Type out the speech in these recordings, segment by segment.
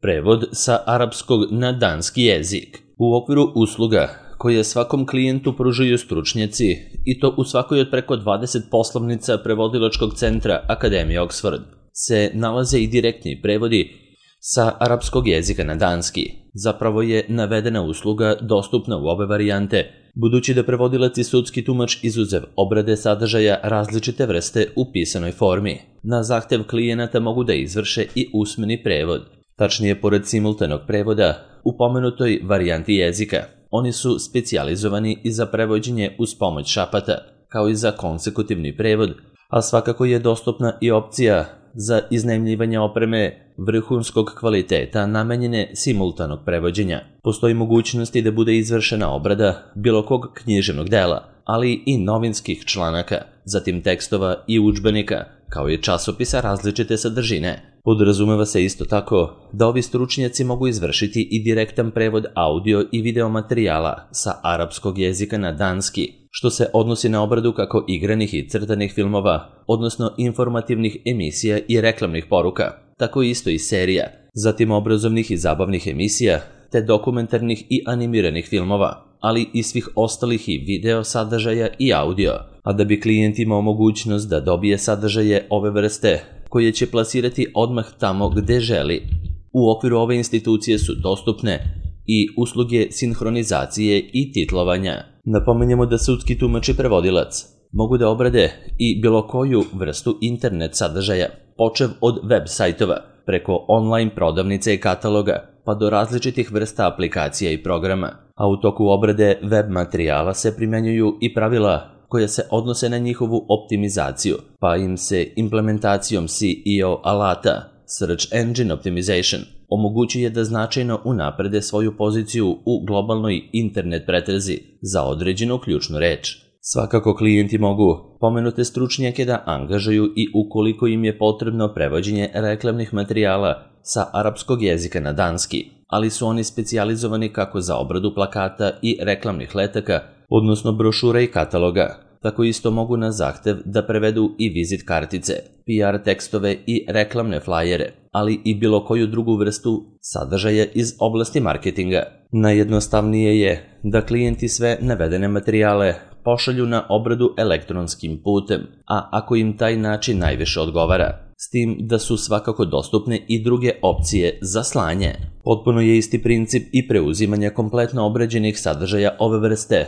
Prevod sa arapskog na danski jezik. U okviru usluga koje svakom klijentu pružaju stručnjaci, i to u svakoj od preko 20 poslovnica prevodilačkog centra Akademije Oxford, se nalaze i direktni prevodi sa arapskog jezika na danski. Zapravo je navedena usluga dostupna u obe varijante, budući da prevodilac i sudski tumač izuzev obrade sadržaja različite vrste u pisanoj formi. Na zahtev klijenata mogu da izvrše i usmeni prevod. Tačnije, pored simultanog prevoda, u pomenutoj varijanti jezika, oni su specijalizovani i za prevođenje uz pomoć šapata, kao i za konsekutivni prevod, a svakako je dostupna i opcija za iznajmljivanje opreme vrhunskog kvaliteta namenjene simultanog prevođenja. Postoji mogućnosti da bude izvršena obrada bilo kog književnog dela, ali i novinskih članaka, zatim tekstova i udžbenika, kao i časopisa različite sadržine. Podrazumeva se isto tako da ovi stručnjaci mogu izvršiti i direktan prevod audio i video materijala sa arapskog jezika na danski, što se odnosi na obradu kako igranih i crtanih filmova, odnosno informativnih emisija i reklamnih poruka, tako isto i serija, zatim obrazovnih i zabavnih emisija, te dokumentarnih i animiranih filmova, ali i svih ostalih i video sadržaja i audio, a da bi klijent imao mogućnost da dobije sadržaje ove vrste, koje će plasirati odmah tamo gde želi. U okviru ove institucije su dostupne i usluge sinhronizacije i titlovanja. Napomenjemo da sudski tumač i prevodilac mogu da obrade i bilo koju vrstu internet sadržaja, počev od web sajtova, preko online prodavnice i kataloga, pa do različitih vrsta aplikacija i programa, a u toku obrade web materijala se primjenjuju i pravila koja se odnose na njihovu optimizaciju, pa im se implementacijom SEO alata, Search Engine Optimization, omogućuje da značajno unaprede svoju poziciju u globalnoj internet pretrazi za određenu ključnu reč. Svakako klijenti mogu pomenute stručnjake da angažuju i ukoliko im je potrebno prevođenje reklamnih materijala sa arapskog jezika na danski, ali su oni specijalizovani kako za obradu plakata i reklamnih letaka, odnosno brošura i kataloga. Tako isto mogu na zahtev da prevedu i vizit kartice, PR tekstove i reklamne flajere, ali i bilo koju drugu vrstu sadržaja iz oblasti marketinga. Najjednostavnije je da klijenti sve navedene materijale pošalju na obradu elektronskim putem, a ako im taj način najviše odgovara, s tim da su svakako dostupne i druge opcije za slanje. Potpuno je isti princip i preuzimanja kompletno obrađenih sadržaja ove vrste,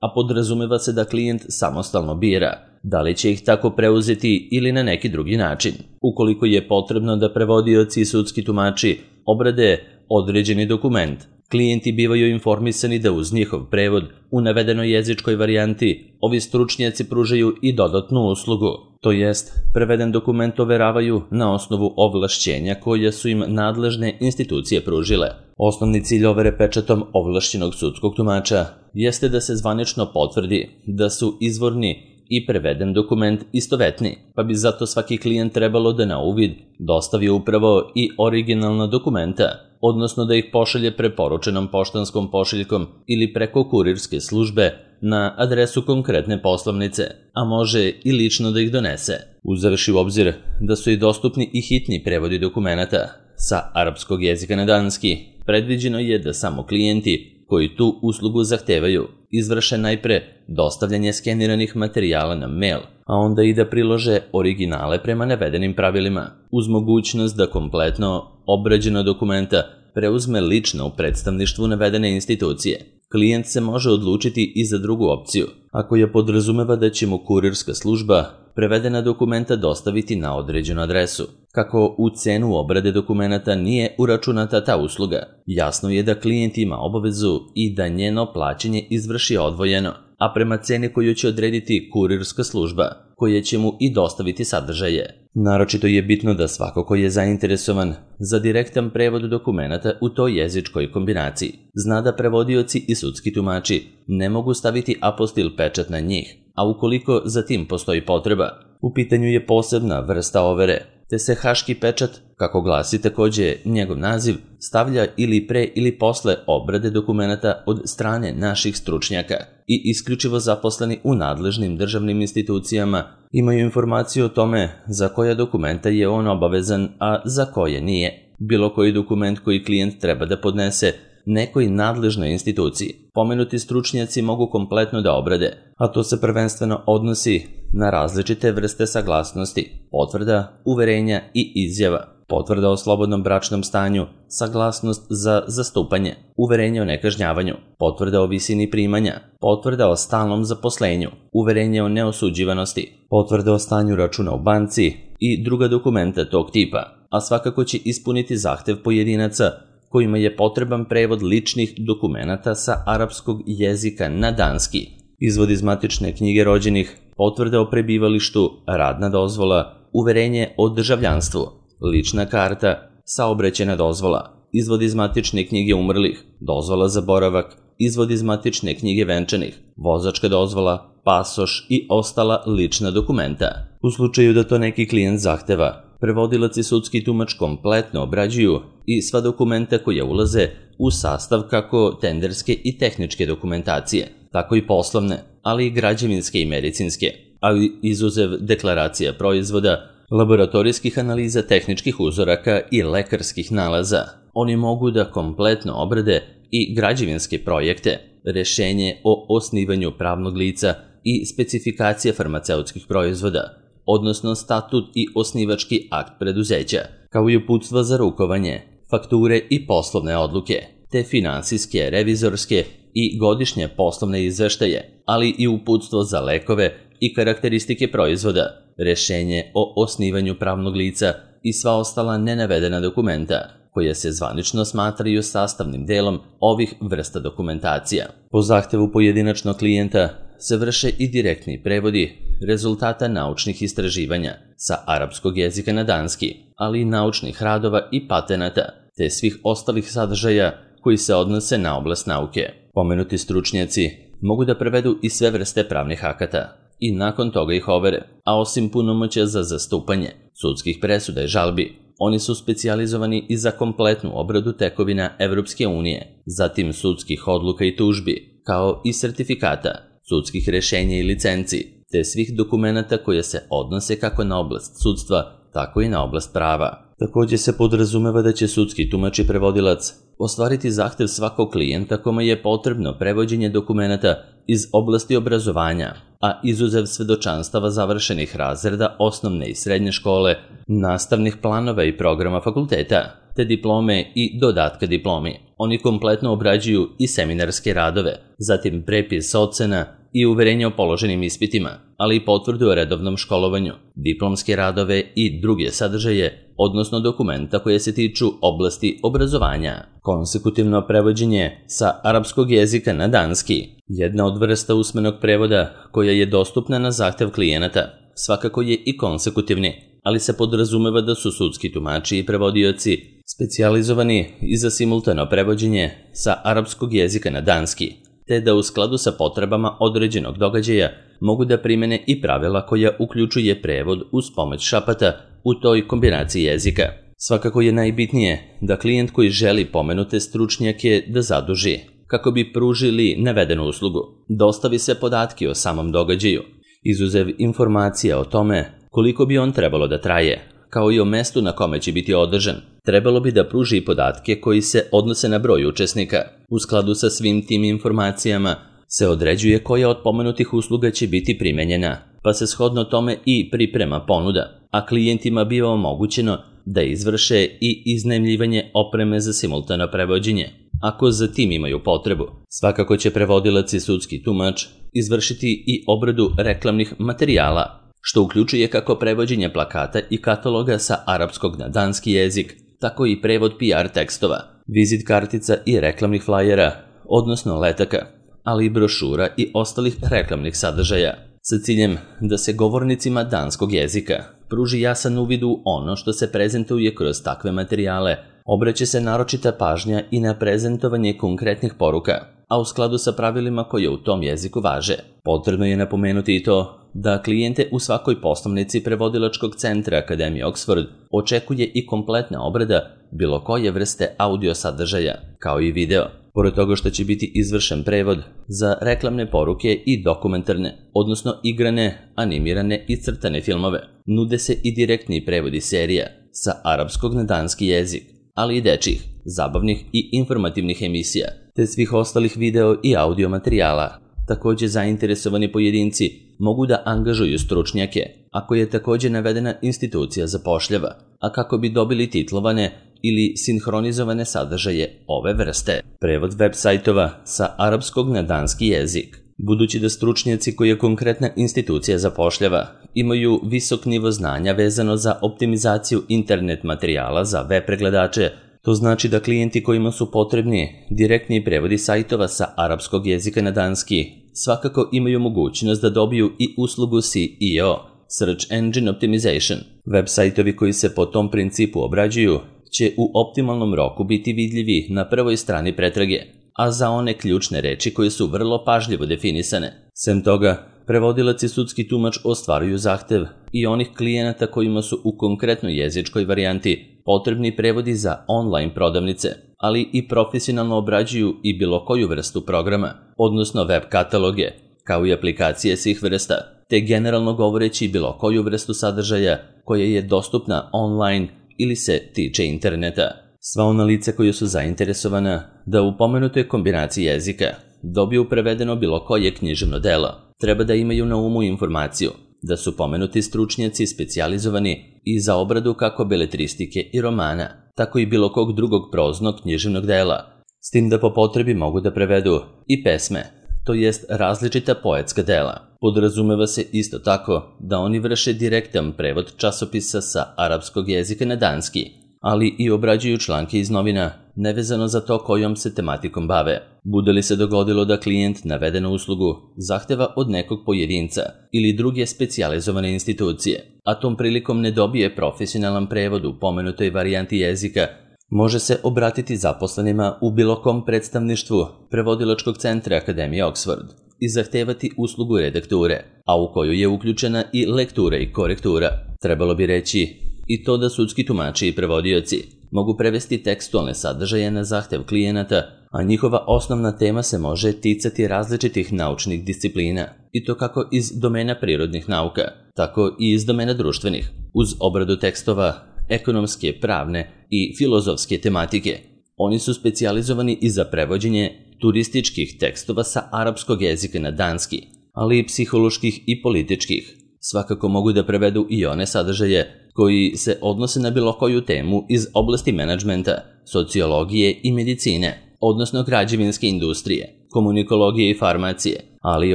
a podrazumeva se da klijent samostalno bira da li će ih tako preuzeti ili na neki drugi način. Ukoliko je potrebno da prevodioci i sudski tumači obrade određeni dokument, klijenti bivaju informisani da uz njihov prevod u navedenoj jezičkoj varijanti ovi stručnjaci pružaju i dodatnu uslugu, to jest preveden dokument overavaju na osnovu ovlašćenja koja su im nadležne institucije pružile. Osnovni cilj overe pečatom ovlašćenog sudskog tumača jeste da se zvanično potvrdi da su izvorni i preveden dokument istovetni, pa bi zato svaki klijent trebalo da na uvid dostavi upravo i originalna dokumenta, odnosno da ih pošalje preporučenom poštanskom pošiljkom ili preko kurirske službe na adresu konkretne poslovnice, a može i lično da ih donese. Uzevši u obzir da su i dostupni i hitni prevodi dokumenata sa arapskog jezika na danski, predviđeno je da samo klijenti koji tu uslugu zahtevaju izvrše najpre dostavljanje skeniranih materijala na mail, a onda i da prilože originale prema navedenim pravilima, uz mogućnost da kompletno obrađena dokumenta preuzme lično u predstavništvu navedene institucije. Klijent se može odlučiti i za drugu opciju, ako je podrazumeva da će mu kurirska služba prevedena dokumenta dostaviti na određenu adresu. Kako u cenu obrade dokumenata nije uračunata ta usluga, jasno je da klijent ima obavezu i da njeno plaćanje izvrši odvojeno, a prema ceni koju će odrediti kurirska služba, koja će mu i dostaviti sadržaje. Naročito je bitno da svako ko je zainteresovan za direktan prevod dokumenata u toj jezičkoj kombinaciji zna da prevodioci i sudski tumači ne mogu staviti apostil pečat na njih, a ukoliko za tim postoji potreba, u pitanju je posebna vrsta overe, te se haški pečat, kako glasi takođe njegov naziv, stavlja ili pre ili posle obrade dokumenata od strane naših stručnjaka i isključivo zaposleni u nadležnim državnim institucijama imaju informaciju o tome za koja dokumenta je on obavezan, a za koje nije. bilo koji dokument koji klijent treba da podnese nekoj nadležnoj instituciji. Pomenuti stručnjaci mogu kompletno da obrade, a to se prvenstveno odnosi na različite vrste saglasnosti, potvrda, uverenja i izjava, potvrda o slobodnom bračnom stanju, saglasnost za zastupanje, uverenje o nekažnjavanju, potvrda o visini primanja, potvrda o stalnom zaposlenju, uverenje o neosuđivanosti, potvrda o stanju računa u banci i druga dokumenta tog tipa, a svakako će ispuniti zahtev pojedinaca kojima je potreban prevod ličnih dokumenata sa arapskog jezika na danski, izvod iz matične knjige rođenih, potvrda o prebivalištu, radna dozvola, uverenje o državljanstvu, lična karta, saobraćajna dozvola, izvod iz matične knjige umrlih, dozvola za boravak, izvod iz matične knjige venčanih, vozačka dozvola, pasoš i ostala lična dokumenta. U slučaju da to neki klijent zahteva, prevodilac i sudski tumač kompletno obrađuju i sva dokumenta koja ulaze u sastav kako tenderske i tehničke dokumentacije, tako i poslovne, ali i građevinske i medicinske, ali izuzev deklaracija proizvoda, laboratorijskih analiza tehničkih uzoraka i lekarskih nalaza. Oni mogu da kompletno obrade i građevinske projekte, rešenje o osnivanju pravnog lica i specifikacija farmaceutskih proizvoda, odnosno statut i osnivački akt preduzeća, kao i uputstva za rukovanje, fakture i poslovne odluke, te finansijske, revizorske i godišnje poslovne izveštaje, ali i uputstvo za lekove i karakteristike proizvoda, rešenje o osnivanju pravnog lica i sva ostala nenavedena dokumenta, koja se zvanično smatraju sastavnim delom ovih vrsta dokumentacija. Po zahtevu pojedinačnog klijenta se vrše i direktni prevodi rezultata naučnih istraživanja sa arapskog jezika na danski, ali i naučnih radova i patenata, te svih ostalih sadržaja koji se odnose na oblast nauke. Pomenuti stručnjaci mogu da prevedu i sve vrste pravnih akata i nakon toga ih overe, a osim punomoćja za zastupanje, sudskih presuda i žalbi, oni su specijalizovani i za kompletnu obradu tekovina Evropske unije, zatim sudskih odluka i tužbi, kao i sertifikata, sudskih rešenja i licenci, te svih dokumenata koje se odnose kako na oblast sudstva, tako i na oblast prava. Takođe se podrazumeva da će sudski tumač i prevodilac ostvariti zahtev svakog klijenta kome je potrebno prevođenje dokumenata iz oblasti obrazovanja, a izuzev svedočanstava završenih razreda osnovne i srednje škole, nastavnih planova i programa fakulteta, te diplome i dodatka diplomi. Oni kompletno obrađuju i seminarske radove, zatim prepis ocena i uverenje o položenim ispitima, ali i potvrdu o redovnom školovanju, diplomske radove i druge sadržaje, odnosno dokumenta koje se tiču oblasti obrazovanja. Konsekutivno prevođenje sa arapskog jezika na danski, jedna od vrsta usmenog prevoda koja je dostupna na zahtev klijenata, svakako je i konsekutivni, ali se podrazumeva da su sudski tumači i prevodioci specijalizovani i za simultano prevođenje sa arapskog jezika na danski, te da u skladu sa potrebama određenog događaja mogu da primene i pravila koja uključuje prevod uz pomoć šapata u toj kombinaciji jezika. Svakako je najbitnije da klijent koji želi pomenute stručnjake da zaduži, kako bi pružili navedenu uslugu, dostavi se podatke o samom događaju, izuzev informacija o tome koliko bi on trebalo da traje, kao i o mestu na kome će biti održan. Trebalo bi da pruži i podatke koji se odnose na broj učesnika. U skladu sa svim tim informacijama se određuje koja od pomenutih usluga će biti primenjena, pa se shodno tome i priprema ponuda, a klijentima biva omogućeno da izvrše i iznajmljivanje opreme za simultano prevođenje, ako za tim imaju potrebu. Svakako će prevodilac i sudski tumač izvršiti i obradu reklamnih materijala, što uključuje kako prevođenje plakata i kataloga sa arapskog na danski jezik, tako i prevod PR tekstova, vizit kartica i reklamnih flajera, odnosno letaka, ali i brošura i ostalih reklamnih sadržaja, sa ciljem da se govornicima danskog jezika pruži jasan uvid u ono što se prezentuje kroz takve materijale. Obraća se naročita pažnja i na prezentovanje konkretnih poruka, a u skladu sa pravilima koje u tom jeziku važe. Potrebno je napomenuti i to da klijente u svakoj poslovnici prevodilačkog centra Akademije Oxford očekuje i kompletna obrada bilo koje vrste audio sadržaja, kao i video. Pored toga što će biti izvršen prevod za reklamne poruke i dokumentarne, odnosno igrane, animirane i crtane filmove, nude se i direktni prevodi serija sa arapskog na danski jezik, ali i dečjih, zabavnih i informativnih emisija, te svih ostalih video i audio materijala. Također zainteresovani pojedinci mogu da angažuju stručnjake, ako je također navedena institucija zapošljava, a kako bi dobili titlovane ili sinhronizovane sadržaje ove vrste. Prevod web sajtova sa arapskog na danski jezik. Budući da stručnjaci koje konkretna institucija zapošljava imaju visok nivo znanja vezano za optimizaciju internet materijala za web pregledače, to znači da klijenti kojima su potrebni direktni prevodi sajtova sa arapskog jezika na danski svakako imaju mogućnost da dobiju i uslugu SEO, Search Engine Optimization. Web sajtovi koji se po tom principu obrađuju će u optimalnom roku biti vidljivi na prvoj strani pretrage, a za one ključne reči koje su vrlo pažljivo definisane. Sem toga, prevodilac i sudski tumač ostvaruju zahtev i onih klijenata kojima su u konkretnoj jezičkoj varijanti potrebni prevodi za online prodavnice, ali i profesionalno obrađuju i bilo koju vrstu programa, odnosno web kataloge, kao i aplikacije svih vrsta, te generalno govoreći bilo koju vrstu sadržaja koja je dostupna online ili se tiče interneta. Sva ona lica koja su zainteresovana da u pomenutoj kombinaciji jezika dobiju prevedeno bilo koje književno delo, treba da imaju na umu informaciju da su pomenuti stručnjaci specijalizovani i za obradu kako beletristike i romana, tako i bilo kog drugog proznog književnog dela, s tim da po potrebi mogu da prevedu i pesme, to jest različita poetska dela. Podrazumeva se isto tako da oni vrše direktan prevod časopisa sa arapskog jezika na danski, ali i obrađuju članke iz novina, nevezano za to kojom se tematikom bave. Bude li se dogodilo da klijent navedenu uslugu zahteva od nekog pojedinca ili druge specijalizovane institucije, a tom prilikom ne dobije profesionalan prevod u pomenutoj varijanti jezika, može se obratiti zaposlenima u bilo kom predstavništvu prevodilačkog centra Akademije Oxford i zahtevati uslugu redakture, a u koju je uključena i lektura i korektura. Trebalo bi reći i to da sudski tumači i prevodioci mogu prevesti tekstualne sadržaje na zahtev klijenata, a njihova osnovna tema se može ticati različitih naučnih disciplina, i to kako iz domena prirodnih nauka, tako i iz domena društvenih, uz obradu tekstova ekonomske, pravne i filozofske tematike. Oni su specijalizovani i za prevođenje turističkih tekstova sa arapskog jezika na danski, ali i psiholoških i političkih. Svakako mogu da prevedu i one sadržaje koji se odnose na bilo koju temu iz oblasti menadžmenta, sociologije i medicine, odnosno građevinske industrije, komunikologije i farmacije, ali i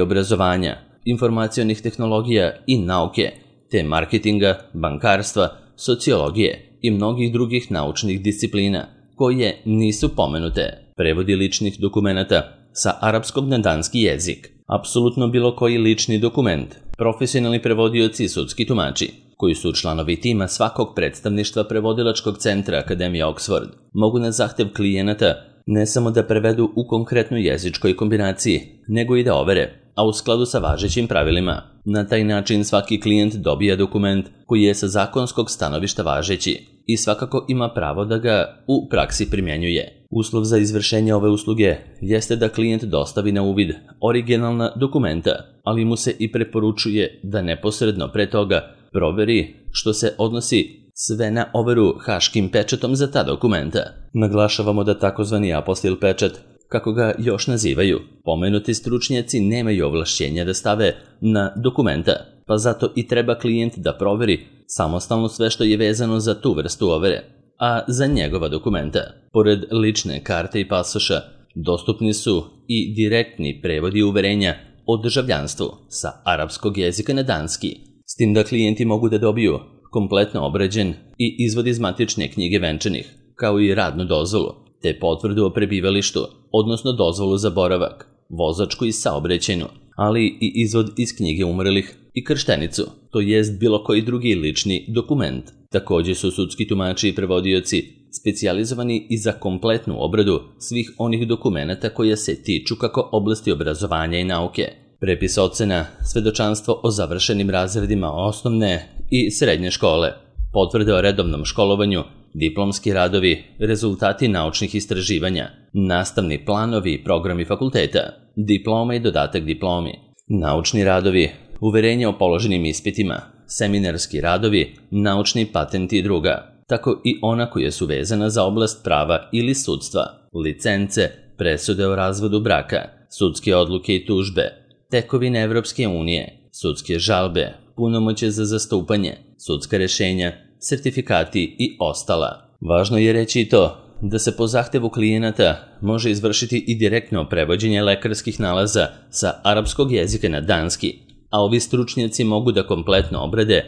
obrazovanja, informacionih tehnologija i nauke, te marketinga, bankarstva, sociologije i mnogih drugih naučnih disciplina koje nisu pomenute. Prevodi ličnih dokumenata sa arapskog na danski jezik. Apsolutno bilo koji lični dokument, profesionalni prevodioci i sudski tumači, koji su članovi tima svakog predstavništva prevodilačkog centra Akademije Oxford, mogu na zahtev klijenata ne samo da prevedu u konkretnoj jezičkoj kombinaciji, nego i da overe, a u skladu sa važećim pravilima. Na taj način svaki klijent dobija dokument koji je sa zakonskog stanovišta važeći i svakako ima pravo da ga u praksi primjenjuje. Uslov za izvršenje ove usluge jeste da klijent dostavi na uvid originalna dokumenta, ali mu se i preporučuje da neposredno pre toga proveri što se odnosi sve na overu haškim pečatom za ta dokumenta. Naglašavamo da takozvani apostil pečat, kako ga još nazivaju, pomenuti stručnjaci nemaju ovlašćenja da stave na dokumenta, pa zato i treba klijent da proveri samostalno sve što je vezano za tu vrstu overe, a za njegova dokumenta, pored lične karte i pasoša, dostupni su i direktni prevodi uverenja o državljanstvu sa arapskog jezika na danski, s tim da klijenti mogu da dobiju kompletno obrađen i izvod iz matične knjige venčanih, kao i radnu dozvolu, te potvrdu o prebivalištu, odnosno dozvolu za boravak, vozačku i saobraćajnu, ali i izvod iz knjige umrlih i krštenicu, to jest bilo koji drugi lični dokument. Također su sudski tumači i prevodioci specijalizovani i za kompletnu obradu svih onih dokumenata koje se tiču kako oblasti obrazovanja i nauke, prepis ocena, svedočanstvo o završenim razredima osnovne i srednje škole, potvrde o redovnom školovanju, diplomski radovi, rezultati naučnih istraživanja, nastavni planovi i programi fakulteta, diploma i dodatak diplomi, naučni radovi, uverenje o položenim ispitima, seminarski radovi, naučni patenti i druga, tako i ona koja su vezana za oblast prava ili sudstva, licence, presude o razvodu braka, sudske odluke i tužbe, tekovine Evropske unije, sudske žalbe, punomoćje za zastupanje, sudska rešenja, sertifikati i ostala. Važno je reći i to da se po zahtevu klijenata može izvršiti i direktno prevođenje lekarskih nalaza sa arapskog jezika na danski, a ovi stručnjaci mogu da kompletno obrade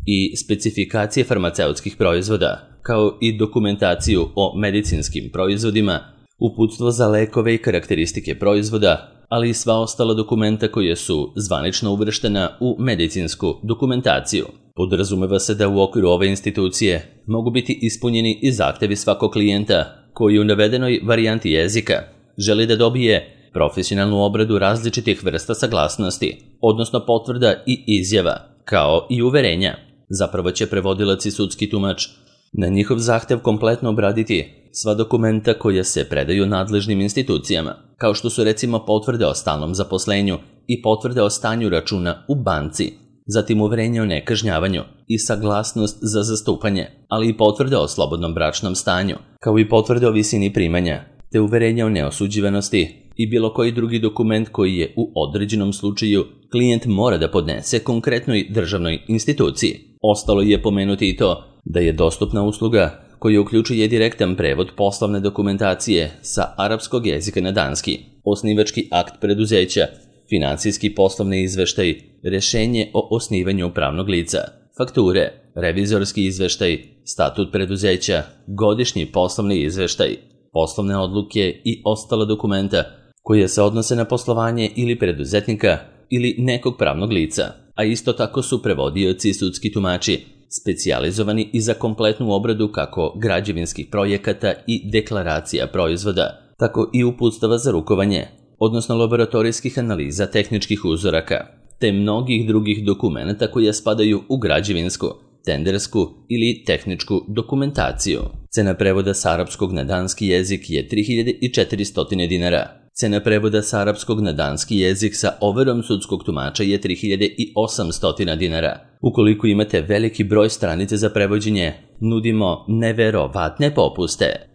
i specifikacije farmaceutskih proizvoda, kao i dokumentaciju o medicinskim proizvodima, uputstvo za lekove i karakteristike proizvoda, ali i sva ostala dokumenta koje su zvanično uvrštena u medicinsku dokumentaciju. Podrazumeva se da u okviru ove institucije mogu biti ispunjeni i zahtevi svakog klijenta koji u navedenoj varijanti jezika želi da dobije profesionalnu obradu različitih vrsta saglasnosti, odnosno potvrda i izjava, kao i uverenja. Zapravo će prevodilac i sudski tumač na njihov zahtev kompletno obraditi sva dokumenta koja se predaju nadležnim institucijama, kao što su recimo potvrde o stalnom zaposlenju i potvrde o stanju računa u banci, zatim uverenje o nekažnjavanju i saglasnost za zastupanje, ali i potvrde o slobodnom bračnom stanju, kao i potvrde o visini primanja, te uverenje o neosuđivanosti i bilo koji drugi dokument koji je u određenom slučaju klijent mora da podnese konkretnoj državnoj instituciji. Ostalo je pomenuti i to da je dostupna usluga koja uključuje direktan prevod poslovne dokumentacije sa arapskog jezika na danski, osnivački akt preduzeća, finansijski poslovni izveštaj, rešenje o osnivanju pravnog lica, fakture, revizorski izveštaj, statut preduzeća, godišnji poslovni izveštaj, poslovne odluke i ostala dokumenta koje se odnose na poslovanje ili preduzetnika ili nekog pravnog lica, a isto tako su prevodioci i sudski tumači specijalizovani i za kompletnu obradu kako građevinskih projekata i deklaracija proizvoda, tako i uputstava za rukovanje, odnosno laboratorijskih analiza tehničkih uzoraka, te mnogih drugih dokumenta koje spadaju u građevinsku, tendersku ili tehničku dokumentaciju. Cena prevoda sa arapskog na danski jezik je 3400 dinara. Cena prevoda sa arapskog na danski jezik sa overom sudskog tumača je 3800 dinara. Ukoliko imate veliki broj stranice za prevođenje, nudimo neverovatne popuste.